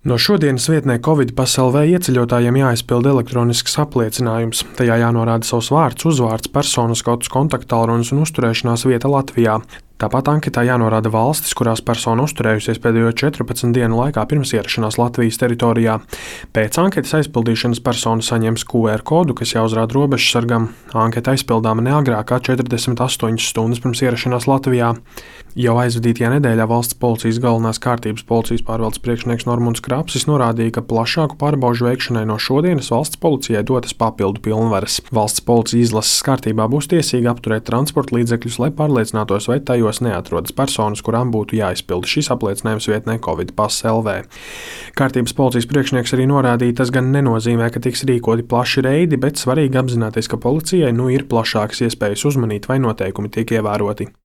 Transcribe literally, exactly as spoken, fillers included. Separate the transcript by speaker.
Speaker 1: No šodienas vietnē Covid pas L V ieceļotājiem jāizpilda elektronisks apliecinājums. Tajā jānorāda savs vārds, uzvārds, personas kods, kontakttālrunis un uzturēšanās vieta Latvijā. Tāpat anketā jānorāda valstis, kurās persona uzturējusies pēdējo četrpadsmit dienu laikā pirms ierašanās Latvijas teritorijā. Pēc anketas aizpildīšanas persona saņems Q R kodu, kas jāuzrāda robežsargam. Anketa aizpildāma ne agrāk kā četrdesmit astoņas stundas pirms ierašanās Latvijā. Jau aizvadītajā nedēļā valsts policijas galvenās kārtības policijas pārvaldes priekšnieks Normunds Krapsis norādīja, ka plašāku pārbaužu veikšanai no šodienas valsts policijai dotas papildu pilnvaras. Valsts policija izlases kārtībā būs tiesīga apturēt transporta līdzekļus, lai pārliecinātos, vai tajos neatrodas personas, kurām būtu jāizpilda šis apliecinājums vietnē Covid pas L V. Kārtības policijas priekšnieks arī norādīja, tas gan nenozīmē, ka tiks rīkoti plaši reidi, bet svarīgi apzināties, ka policijai nu ir plašākas iespējas uzmanīt, vai noteikumi tiek ievēroti.